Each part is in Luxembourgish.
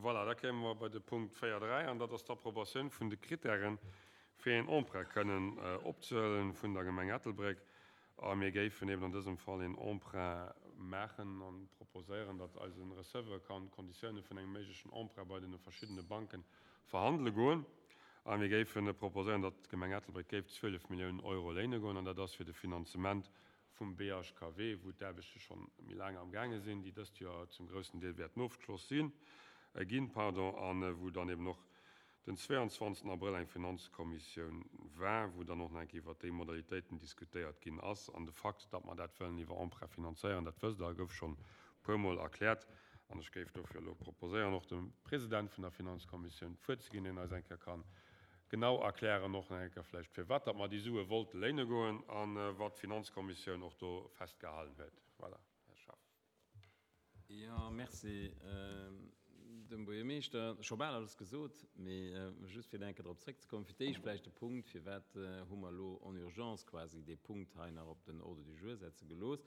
Voilà, da kéime mer bei de Punkt 4.3, an dat ass d'Approbatioun vun de Krittären, fir een Emprunt kënnen opzehuelen vun der Gemeng Ettelbréck. A mir géifen eben an dësem Fall een Emprunt maachen a proposéieren, datt eise Receveur kann d'Konditioune vun engem méiglechen Emprunt bei deene verschiddene Banke verhandele goen. A mir géife proposéieren, datt d'Gemeng Ettelbréck géif 12 Milliounen Euro léine goen, an dat ass fir de Finanzement vum BHKW, wou d'Aarbechte schonn méi laang am gaange sinn, déi dëst Joer zum groussen Deel wäerten ofgeschloss sinn, ginn, pardon, a wou dann eben och den 22 Abrëll eng Finanzkommissioun war, wou dann och nach eng Kéier iwwert déi Modalitéiten diskutéiert ginn ass. An de Fakt, datt mer dat wëllen iwwer Emprunt finanzéieren, dat wësst Der, gouf schonn e puermol erkläert. An ech géif dofir elo proposéieren, och dem President vun der Finanzkommissioun d'Wuert ze ginn, deen eis eng Kéier kann genau erklären och nach eng Kéier vläicht, firwat datt mer déi Sue wollte léine goen a wat d'Finanzkommissioun och do festgehalen huet. Voilà, Här Schaff. Jo, merci dem Buergermeeschter. Scho bal alles gesot, mee just fir nach eng Kéier drop zréckzekommen. Fir d'éischt vläicht de Punkt, Firwat hu mer elo en urgence quasi dee Punkt hei nach op den Ordre du jour setze gelooss?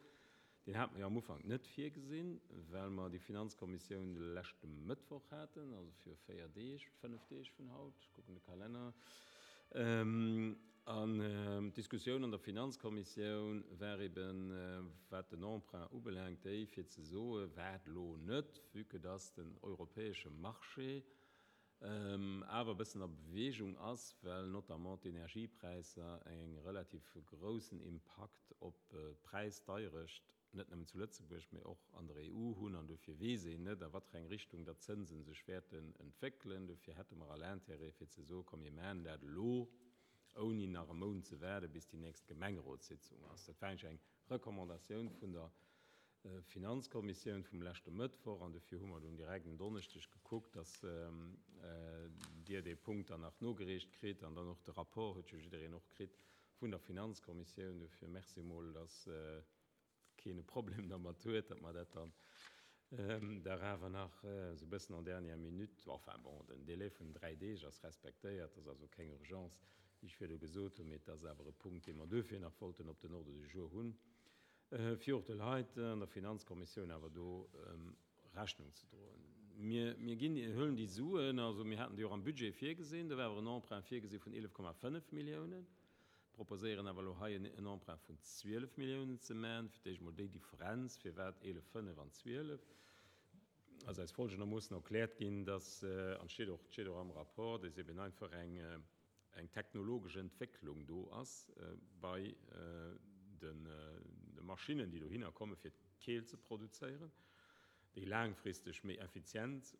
Deen hate mer jo am Ufank net virgesinn, well mer déi Finanzkommissioun de leschte Mëttwoch haten, also viru véier Deeg, fënnef Deeg vun haut, ech kucken de Kalenner. An d'Diskussioun an der Finanzkommissioun war eben, wat den Emprunt ubelaangt, déi fir ze soe wat elo net, vue que dass den europäesche Marché awer e bëssen a Beweegung ass, well notamment d'Energiepräisser eng relativ groussen Impakt op d'Präisdeierecht net nëmmen zu Lëtzebuerg, mee och an der EU hunn. An dofir weess een net, a wat fir eng Richtung datt d'Zënse sech wäerten entwéckelen. Dofir hätte mer all Intérêt fir ze soen, komm mir maachen dat elo, ouni nach e Mount ze waarden, bis déi nächst Gemengerotssitzung ass. Dat war eigentlech eng Recommandatioun vun der Finanzkommissioun vum leschte Mëttwoch an dofir hu mer dunn direkt en Donneschdeg gekuckt, dass Dir dee Punkt dann nach nogereecht kritt an dann och de Rapport huet jo jiddereen och kritt vun der Finanzkommissioun. Dofir merci emol, dass keen e Problem dermat huet, datt mer dat dann dach awer nach esou e bëssen en dernière minute, enfin bon, den Délai vun dräi Deeg ass respektéiert, ass also keng Urgence, wéi ech virdu gesot hunn, mee et ass awer e Punkt, dee mer duerfir nach wollten op den Ordre du jour hunn. fir och de Leit an der Finanzkommissioun awer do Rechnung ze droen. Mir, mir ginn, huelen déi Suen, also mir haten déi och am Budget virgesinn, do war awer en Emprunt virgesi vun 11,5 Milliounen, proposéieren awer elo hei en Emprunt vun 12 Milliounen ze man. Fir d'éischt emol déi Differenz, firwat 11,5 an 12, ass eis folgendermoossen erkläert ginn, dass, an et steet och, et steet och am Rapport, dass eben einfach eng, eng technologesch Entwécklung do ass bei de Maschinnen, déi dohinner komme fir d'Keelt ze produzéieren, déi laangfristeg méi effizient,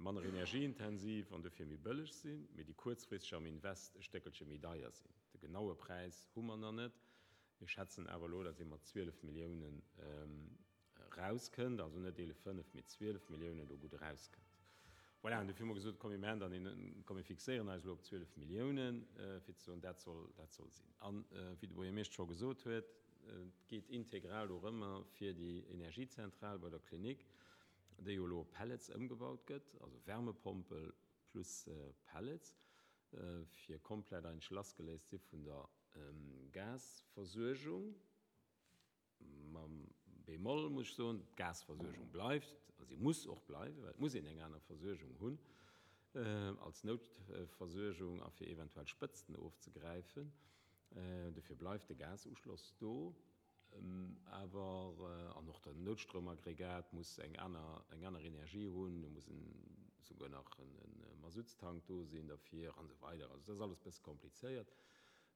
manner energieintensiv an dofir méi bëlleg sinn, mee déi kuerzfristeg am Invest e Stéckelche méi deier sinn. De genaue Präis hu mer nach net. Mir schätzen awer elo, datt ee mat 12 Milliounen erauskënnt, also net 11,5, mee 12 Milliounen do gutt erauskënnt. Voilà, an dofir hu mer gesot, komm mir maachen dann een, komm mir fixéieren eis elo op 12 Milliounen, fir ze soen, dat soll, dat soll sinn. An, wéi de Buergermeeschter scho gesot huet, et geet integral dorëmmer fir déi Energiezentral bei der Klinik, déi jo elo op Pellets ëmgebaut gëtt, also Wärmepompel plus Pellets, fir komplett eigentlech lassgeléist si vun der Gasversuergung. Mam Bémol muss ech soen, d'Gasversuergung bleift, a si muss och bleiwen, well et muss een eng aner Versuergung hunn als Noutversuergung a fir eventuell Spëtzten ofzegräifen. Dofir bleift de Gasuschloss do. Awer, an och den Noutstroumaggregat muss eng aner, eng aner Energie hunn, do muss en, souguer nach e Masuttstank do sinn derfir an esou weider. Also dat ass alles e bësse komplizéiert.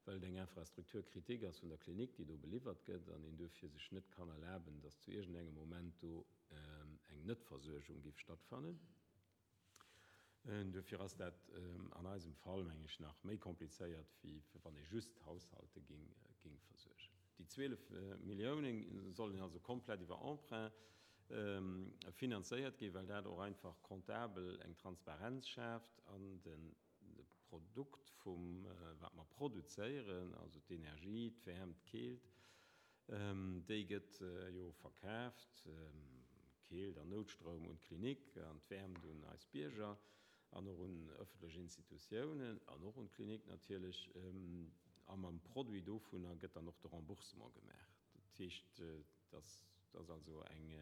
well et eng Infrastructure critique ass vun der Klinik, déi do beliwwert gëtt, an een duerfir sech net kann erlaben, dass zu iergendengem Moment do eng Netversuergung géif stattfannen. Duerfir ass dat an eisem Fall, meng ech, nach méi komplizéiert, wéi wann ee just d'Haushalte géing versuergen. Déi 12 Milliounen sollen also komplett iwwer Emprunt finanzéiert ginn, well dat och einfach comptabel eng Transparenz schaaft an de De Produkt vum wat mer produzéieren, also d'Energie, d'Wäermt, d'Keelt, déi gëtt jo verkaaft, Keelt an Noutstroum un d'Klinik an d'Wäermt un eis Bierger an och un ëffentlech Institutiounen an och un d'Klinik natierlech. A mam Produit dovunner gëtt dann och de Remboursement gemaach. Dat heescht, dass ass also eng.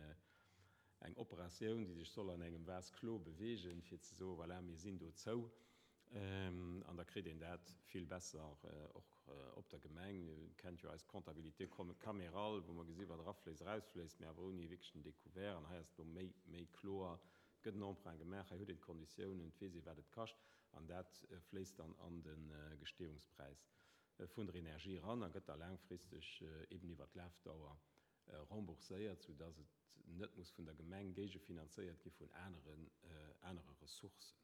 Eng Operatioun, déi sech soll an engem Vase clos beweegen, fir ze soen, voilà, mir sinn dozou. An da kritt een dat vill besser och op der Gemeng. Dir kennt jo eis Comptabilité camérale, wou mer gesi wat erafléisst, erausfléisst, mä awer ouni wierklech den Découvert. An hei ass et elo méi, méi kloer. Et gëtt en Emprunt gemaach, hei huet een d'Konditiounen, et weess ee wat et kascht an dat fléisst dann an de Gestehungspräis vun der Energie eran a gëtt da laangfristeg eben iwwert d'Lafdauer rembourséiert, soudass et net muss vun der Gemeng géigefinanzéiert gi vun aneren, anere Ressourcen.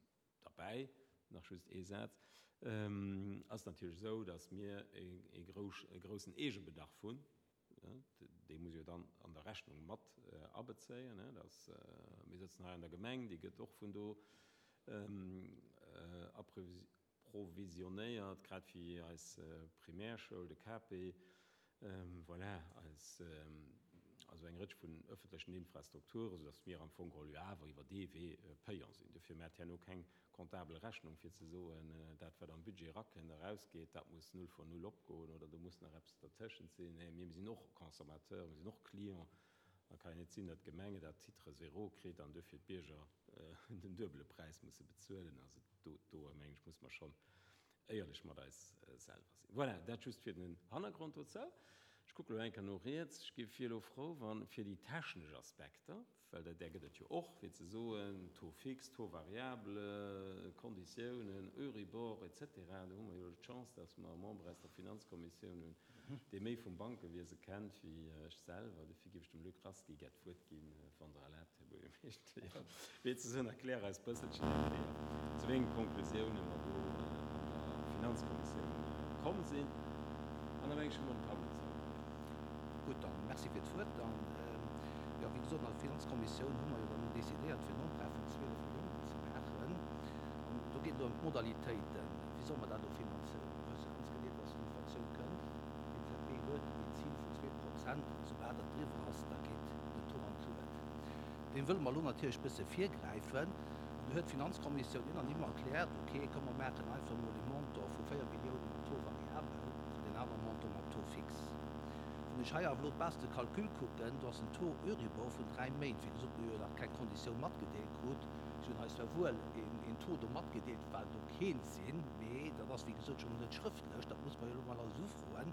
Derbäi, nach just ee Saz, ass natierlech esou, dass mir e groussen Eegebedarf hunn. Dee muss jo dann an der Rechnung mat abezéien. Dass mir sëtzen hei an der Gemeng, déi gëtt och vun do approvisionnéiert, grad wéi eis Primärschoul, de KP. Voilà, eis, also eng Rëtsch vun öffentlechen Infrastrukturen, soudass mir am Fong geholl jo awer iwwer dee Wee payant sinn. Dofir maacht herno keng comptabel Rechnung, fir ze soen, dat wat am Budget erakënnt, erausgeet, dat muss null vor null opgoen oder do muss nach eppes dertëschent sinn. Nee, mir sinn och Consommateur, mir sinn och Client. Da kann jo net sinn, datt d'Gemeng et à titre zéro kritt an duerfir d'Bierger den duebele Präis musse bezuelen. Also do, do mengen ech, muss mer schonn éierlech mat eis selwer sinn. Voilà, dat just fir den Hannergrond dozou. Ech kucke lo eng Kéier no riets. Ech gi wier elo frou, wann fir déi technesch Aspekter, well dat där gëtt et jo och, fir ze soen, Taux fixe, Taux variable, Konditiounen, Euribor et cetera, do hu mer jo elo d'Chance, dass mer e Member aus der Finanzkommissioun hunn, dee méi vum Bankewiese kennt wéi ech selwer. Dofir géif ech dem Luc Rasqui gär d'Wuert ginn, wann Der erlaabt, Här Buergermeeschter. Jo, wéi ze soen, erklär eis bësselchen eng Kéier, zu wéi enge Konklusiounen mer do an der Finanzkommissioun komm sinn. An da meng ech, hu mer den Tableau zou. Gutt, dann Merci fir d'Wuert. Dann, jo, wéi gesot, an der Finanzkommissioun hu mer jo dann decidéiert, fir en Emprunt vun 12 Milliounen ze maachen. An do geet et elo ëm d'Modalitéiten. Wéi solle mer dat elo finanzéieren? Mir wësse ganz genee, dass d'Inflatioun kënnt. D'EZB huet een Zil vun 2%, an soubal dat driwwer ass, da geet den Taux an d'Luet. Deem wëlle mer elo natierlech e bësse virgräifen. An do huet d'Finanzkommissioun unanime erkläert, ok, komm mer maachen einfach emol ee Montant vu 4 Milliounen mat Taux variabel an deen anere Montant mat Taux fixe. Wann ech hei awer elo d'Base de calcul kucken, do ass en Taux Euribor vun 3 Méint. Wéi gesot, mir hu jo nach keng Konditioun matgedeelt krut. Si hunn eis zwar wuel een Taux do matgedeelt, wat elo keent sinn, mee dat ass wéi gesot schonn net schrëftlech, dat muss mer jo elo mol alles ufroen.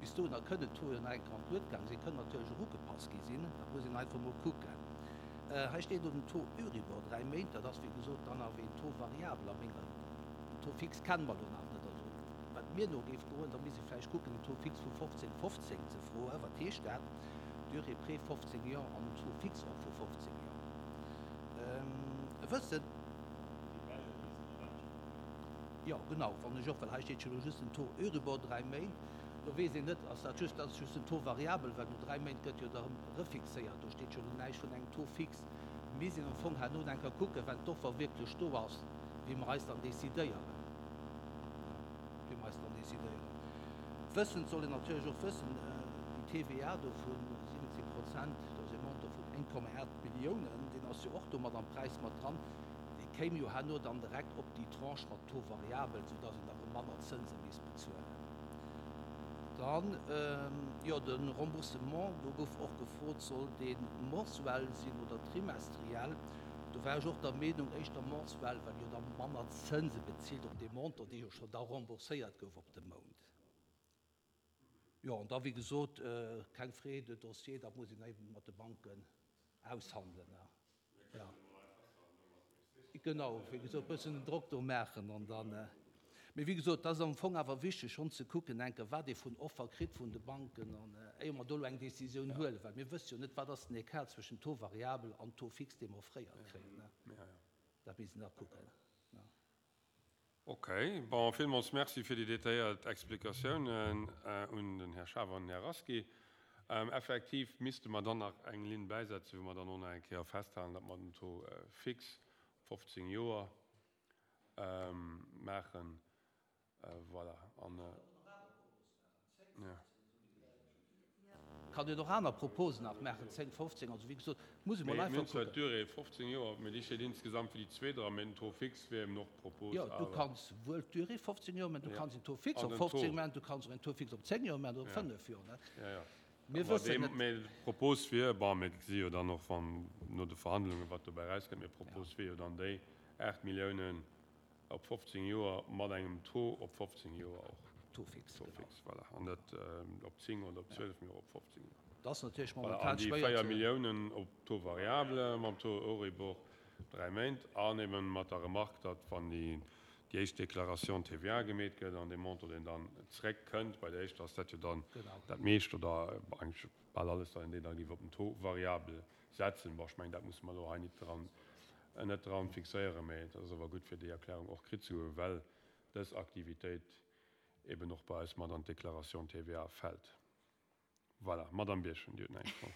Bis dohinner kënnen d'Taux jo nach eng Kéier an d'Luet gaang sinn, kënnen natierlech och ugepasst gi sinn, dat muss een einfach mol kucken. Hei steet elo den Taux Euribor 3 Méint, dat ass wéi gesot dann awer een Taux variabel a menger, den Taux fixe kenne mer elo nach net. Also wat mir no géif goen, da misst ee vläicht kucken en Taux fixe vu 15, 15 ze froen. Wat heescht dat? Durée prêt 15 Joer an en Taux fixe och vu 15 Joer. E wëssen. Jo, genau, fannen ech och, well hei steet jo elo just den Taux Euribor 3 Méint. Do weess een net, ass dat just, dat ass just den Taux variabel, well no 3 Méint gëtt jo da erëm refixéiert. Do steet jo elo näischt vun engem Taux fixe. Misst een am Fong herno eng Kéier kucken, wenn d'Offer wierklech do ass, wéi mer eis dann decidéieren. Wéi mer eis dann decidéieren. Wëssend soll een natierlech och wëssen, déi TVA do vu 17 Prozent, dat ass e Montant vun 1,8 Milliounen, deen ass jo och do mat am Präis mat dran, dee kéim jo herno dann direkt op déi Tranche mat Taux variabel, soudass een da rëm manner Zënse misst bezuelen. Dann, jo, de Remboursement, do gouf och gefrot, soll dee mensuel sinn oder trimestriell? Do war ech och der Meenung, éischter mensuel, well jo da manner Zënse bezilt op dee Montant, dee jo scho da rembourséiert gouf op de Mount. Jo, an da, wéi gesot, keng Frais de dossier, dat muss een eben mat de Banken aushandelen. Jo, genau, wéi gesot, e bëssen den Drock do maachen an dann. Mee wéi gesot, dat ass am Fong awer wichteg schonn ze kucken eng Kéier, wat ee vun Offer kritt vun de Banken an éier mer do elo eng Décisioun huelen, well mir wësse jo net, wat ass den Écart zwëschen Taux variabel an Taux fixe, dee mer offréiert kréien. Dat misst een da kucken. Ok, bon, villmools Merci fir déi detailléiert Explikatiounen un den Här Schaaf an den Här Rasqui. Effektiv misste mer dann nach eng Linn bäisetzen, wou mer dann och nach eng Kéier festhalen, datt mer den Taux fixe op 15 Joer maachen. Voilà. An, jo. Kann een och aner Proposen nach maachen, 10, 15, also wéi gesot, muss ee mol einfach kucken. Mee mir hunn zwar d'Durée 15 Joer, mee déi steet insgesamt fir déi zweet dran, mee den Taux fixe wier eben och d'Propos. Jo, du kanns wuel d'Durée 15 Joer, mä du kanns en Taux fixe op 15 maachen, du kanns och en Taux fixe op 10 Joer maachen oder op 5 Joer. Jo, jo. Mir wëssen et. Mee d'Propos wier, bon, mir gesi jo dann och wann no de Verhandlungen, wat dobäi erauskënnt, mee d'Propos wier jo dann déi 8 Milliounen op 15 Joer mat engem Taux op 15 Joer och. Taux fixe, genau. Taux fixe, voilà. An net op 10 oder op 12, mee och op 15 Joer. Dat ass natierlech momentan schwéier ze. Voilà, an déi 4 Milliounen op Taux variable mam Taux Euribor 3 Méint an eben mat der Remarque, datt wann déi déi éischt Déclaration TVA gemeet gëtt an dee Montant, deen dann zréckkënnt, bei der éischter ass dat jo dann dat meescht oder eigentlech bal alles, datt een deen da géif op den Taux variable setzen. Bon, ech mengen, dat musse mer elo hei nit dran, net dran fixéieren, mä et ass awer gutt, fir déi Erklärung och kritt ze hunn, well dës Aktivitéit eben och bei eis mat an d'Déclaration TVA fält. Voilà, Madamm Birchen, Dir hutt nach eng Fro.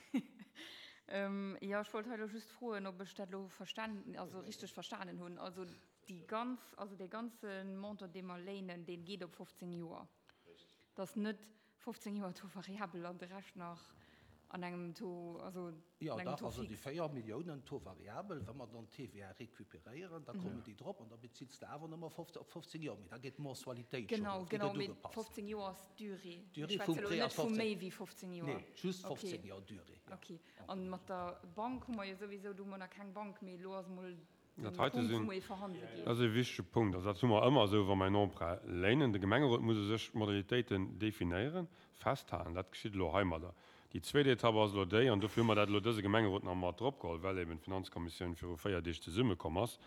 Jo, ech wollt hei elo just froen, ob ech dat elo verstan, also richteg verstanen hunn. Also déi ganz, also dee ganze Montant, dee mer léinen, dee geet op 15 Joer. Dat ass net 15 Joer Taux variabel an de Rescht nach an engem Taux, also an Jo, engem dach, Taux also déi fixe. 4 Milliounen Taux variabel, wa mer dann d'TVA recuperéieren, da kommen déi drop an da bezills de awer nëmme op 15 Joer, mee da geet d'Mensualitéit schonn Genau, erof, déi genau, gëtt mee ugepasst. 15 Joer ass d'Durée. D'Durée vum Prêt ass 15. Vu méi wéi 15 Joer. Nee, just 15 Joer Durée. Ja. Ok. An mat der Bank hu mer jo souwisou, do hu mer nach keng Bank, mee elo ass emol de Punkt, wou mer ee verhandele ginn. Dat ass e wichtege Punkt. Also dat hu mer ëmmer esou, wa mer en Emprunt léinen. De Gemengerot muss u sech d'Modalitéiten definéieren, festhalen. Dat geschitt elo heimadder. Déi zweet Etapp ass elo déi, an dofir hu mer dat elo dëse Gemengerot nach mat dropgeholl, well eben d'Finanzkommissioun viru 4 Deeg zesummekomm ass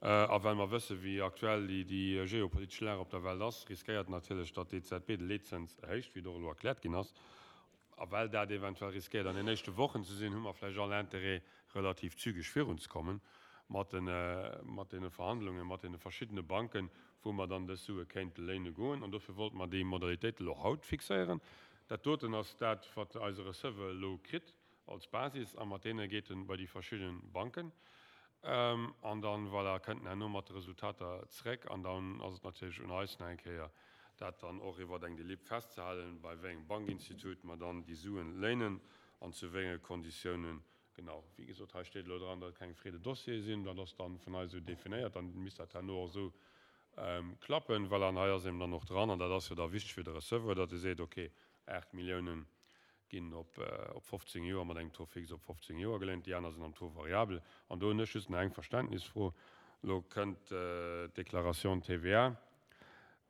a well mer wëssen, wéi aktuell déi geopolitesch Lag op der Welt ass, riskéiert natierlech, datt d'EZB de Leetzëns erhéicht, wéi et och elo erkläert ginn ass. A well dat eventuell riskéiert an den éischte Wochen ze sinn, hu mer vläicht all Interêt, relativ zügeg virunzekommen mat deene Verhandlungen mat deene verschiddene Banken, wou mer dann dës Sue kéinte léine goen. An dofir wollte mer déi Modalitéite elo haut fixéieren. Dat doten ass dat, wat eise Receveur elo kritt als Basis, a mat deene geet en bei déi verschidde Banken. An dann, voilà, kënnt en herno mat de Resultater zréck. An dann ass et natierlech un eis nach eng Kéier, dat dann och iwwer eng Delib festzehalen, bei wéi engem Bankinstitut mer dann déi Suen léinen an zu wéi enge Konditiounen. Genau, wéi gesot, hei steet elo dran, datt et keng Frais de dossier sinn. Dat ass dann vun eis esou definéiert. Dann misst dat herno och esou klappen. Voilà, an hei ass eben dann och dran, an dat ass jo da wichteg fir de Receveur, datt e seet, okay, 8 Milliounen ginn op 15 Joer mat engem Taux fixe op 15 Joer geléint, déi aner sinn am Taux variable. An do hunn ech just nach eng Verständnisfro. Elo kënnt d'Déclaration TVA,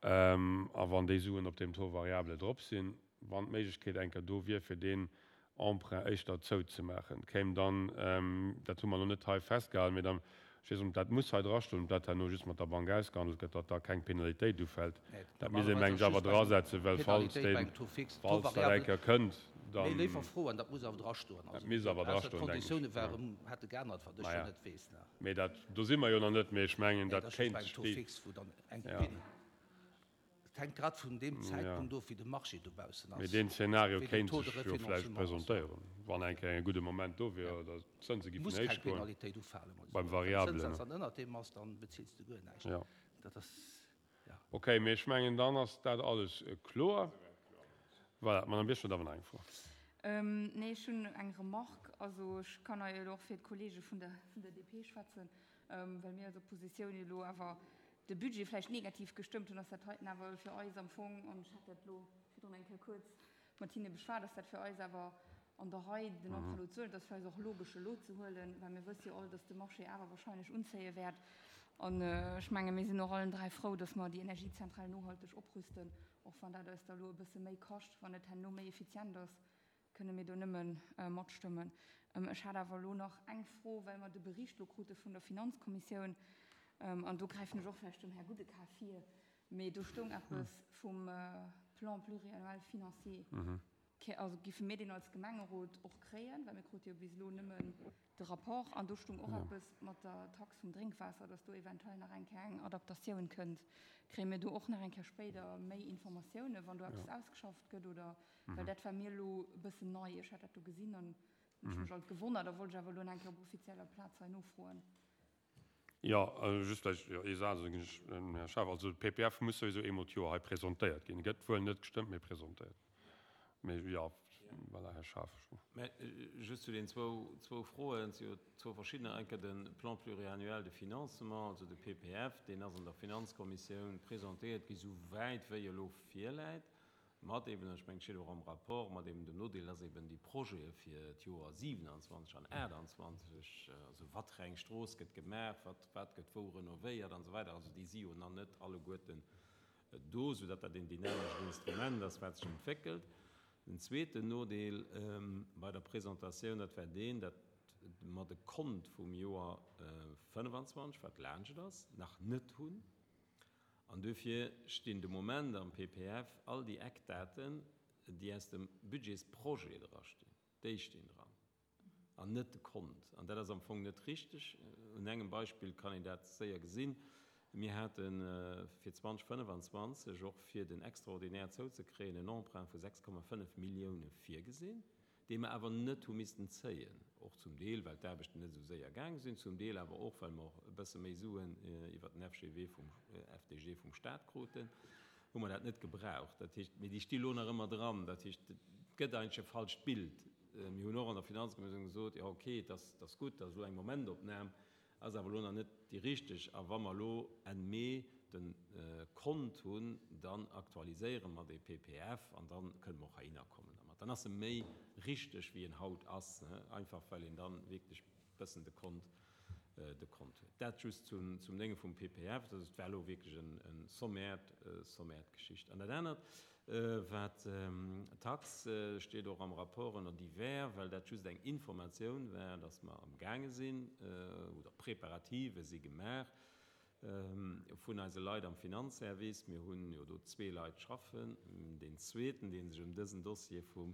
a wann déi Suen op deem Taux variable drop sinn, wann d'Méiglechkeet eng Kéier do wier, fir deen Emprunt éischter zouzemaachen, kéim dann, dat hu mer elo net hei festgehalen, mee dann, ech weess net, ob dat muss hei drastoen, ob dat herno just mat der Bank ausgehandelt gëtt, datt da keng Penalitéit ufält. Dat misst ee mengen ech awer drasetzen, well falls deen, falls dat eng Kéier kënnt, dann. Dat misst awer drastoen, denken ech. Maja, mee dat, do si mer jo nach net, mee ech mengen, dat kéint déi, ja. Et hänkt grad vun deem Zäitpunkt of, wéi de Marché dobaussen ass. Mee deen Zeenario kéint sech jo vläicht presentéieren, wann eng Kéier e gudde Moment do wier oder d'Zënse giffen héich goen. Muss keng Penalitéit ufalen. Beim Variabelen. Wann den Zënssaz dann ënnert deem ass, dann bezills de guer näischt. Jo. Dat ass, jo. Okay, mee ech mengen, dann ass dat alles kloer. Voilà, d'Madame Birchen huet awer nach eng Fro. Nee, ech hunn eng Remarque. Also ech kann hei elo och fir d'Kollege vun der DP schwätzen, well mir als Oppositioun jo elo awer de Budget vläicht negativ gestëmmt hunn, ass dat heiten awer fir eis am Fong, an ech hat dat elo virdrun eng Kéier kuerz mat hinne beschwat, ass dat fir eis awer an der Rei, den Emprunt elo ze huelen. Et ass fir eis och logesch, elo ze huelen, well mir wësse jo all, dass de Marché awer wahrscheinlech unzéie wäert. An ech menge mir sinn och allen dräi frou, dass mer déi Energiezentral nohalteg oprüsten, och wann dat eis da elo e bësse méi kascht, wann et herno méi effizient ass. Kënne mir do nëmme matstëmmen. Ech hat awer elo nach eng Fro, well mer de Bericht elo krute vun der Finanzkommissioun, an do gräifen ech och vläicht dem Här Goudecart vir, mee do stoung eppes vum Plan pluriannuel financier. Also giffe mir deen als Gemengerot och kréien, well mir krute jo bis elo nëmmen de Rapport. An do stoung och eppes mat der Tax vum Drénkwaasser, dass do eventuell nach eng Kéier eng Adaptatioun kënnt. Kréie mir do och nach eng Kéier spéider méi Informatiounen, wann do eppes ausgeschafft gëtt, oder? Well dat war mir elo e bëssen nei. Ech hat dat do gesinn an hunn ech mech alt gewonnert a wollt ech awer elo nach eng Kéier op offizieller Plaz hei nofroen. Jo, just vläicht ee Saz, da ginn ech dem Här Schaaf. Also de PPF muss souwisou eemol d'Joer hei presentéiert ginn. E gëtt wuel net gestëmmt, mee presentéiert. Mee jo, voilà, Här Schaaf. Mä just zu den zwou Froen, et si jo zwou verschiddener. Eng Kéier de Plan pluriannuel de financement, also de PPF, deen ass an der Finanzkommissioun presentéiert gi souwäit wéi e elo virläit. Mat eben, ech mengen, et steet och am Rapport, mat eben dem Nodeel, dass eben déi Projete fir d'Joer 27 an 28, also wat fir eng Strooss gëtt gemaach, wat, wat gëtt wou renovéiert an esou weider, also déi si jo nach net alleguerten do, soudatt dat een dynamescht Instrument ass, wat sech entwéckelt. Den zweeten Nodeel bei der Presentatioun, dat war deen, datt mer de Kont vum Joer 25, wat laanscht ass, nach net hunn. An duerfir stinn de Moment am PPF all déi Eckdaten, déi aus dem Budgetsprojet drastinn, déi stinn dran an net de Kont. An dat ass am Fong net richteg. Un engem Beispill kann een dat séier gesinn. Mir hate fir 2025 och fir den Extraordinaire zouzekréien en Emprunt vu 6,5 Millioune virgesinn. dee mer awer net hu missten zéien, och zum Deel, well d'Aarbechten net esou séier gaang sinn, zum Deel awer och, well mer och e bësse méi Suen iwwert den FGW vum, FDG vum Stat kruten, hu mer dat net gebraucht. Dat heescht, mee déi sti lo nach ëmmer dran. Dat heescht, et gëtt eigentlech e falscht Bild. Mir hunn och an der Finanzkommissioun gesot, jo okay, et ass, et ass gutt, dat ass elo eng Momentopnam, Ass awer elo nach net déi richteg. A wa mer elo Enn Mee de Kont hunn, dann aktualiséiere mer dee PPF an da kënne mer och heihinner kommen dermat. Dann ass e méi richteg, wéi en haut ass, einfach well een da wierklech bëssen de Kont, de Kont huet. Dat just zum, zum Dénge vum PPF. Also et war elo wierklech e sommäert, sommäert Geschicht. An dat anert, Wat d'Tax steet och am Rapport ënner divers, well dat just eng Informatioun war, datt mer am gaange sinn oder Preparative si gemaach vun eise Leit am Finanzservice. Mir hunn jo do zwee Leit schaffen. Deen zweeten, dee sech ëm dësen Dossier vum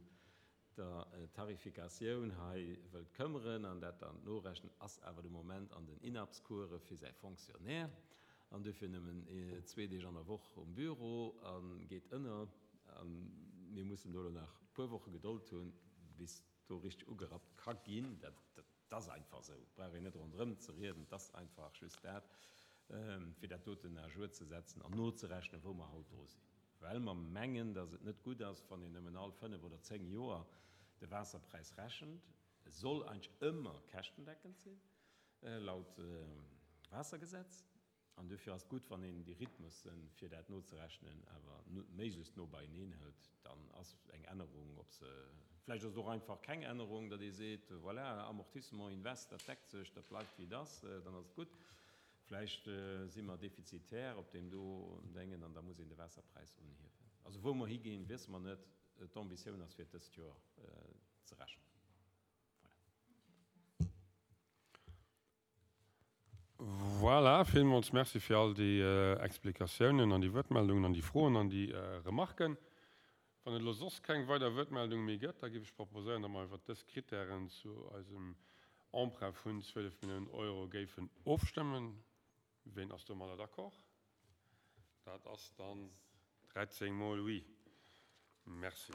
der Tarifikatioun hei wëllt këmmeren an dat dann norechnen, ass awer de Moment an den INAPS-Course fir säi Fonctionnaire an duerfir nëmmen zwee Deeg an der Woch um Büro a geet ënner. A mir mussen do elo nach e puer Woche Gedold hunn, bis do richteg ugerappt ka ginn. Dat ass einfach esou, et brauch een net ronderëm ze rieden, et ass einfach just dat, fir dat doten à jour ze setzen an nozerechnen, wou mer haut dru sinn. Well mer mengen, datt et net gutt ass, wann een nëmmen all fënnef oder zéng Joer de Waasserpräis rechent. E soll eigentlech ëmmer käschtendeckend sinn, laut Waassergesetz. An duerfir ass et gutt, wann een déi Rhythmussen, fir dat nozerechnen, awer méiglechst no beieneen hëlt. Dann ass eng Ännerung, ob se, vläicht ass et och einfach keng Ännerung, datt ee seet, voilà, Amortissement, Invest, dat deckt sech, dat bleift wéi et ass, dann ass et gutt. Vläicht si mer defizitär op deem do Déngen an da muss een de Waasserpräis unhiewen. Also wou mer higinn, wiesse mer net. D'Ambitioun ass fir et dëst Joer ze rechnen. Voilà. Voilà, villmools Merci fir all déi Explikatiounen an déi Wuertmeldungen an déi Froen an déi Remarken. Wann et elo soss keng weider Wuertmeldung méi gëtt, da géif ech proposéieren, datt mer iwwert dës Krittären zu eisem Emprunt vun 12 Milliounen Euro géifen ofstëmmen. Ween ass domadder d'accord? Dat ass dann 13 mol Oui. Merci.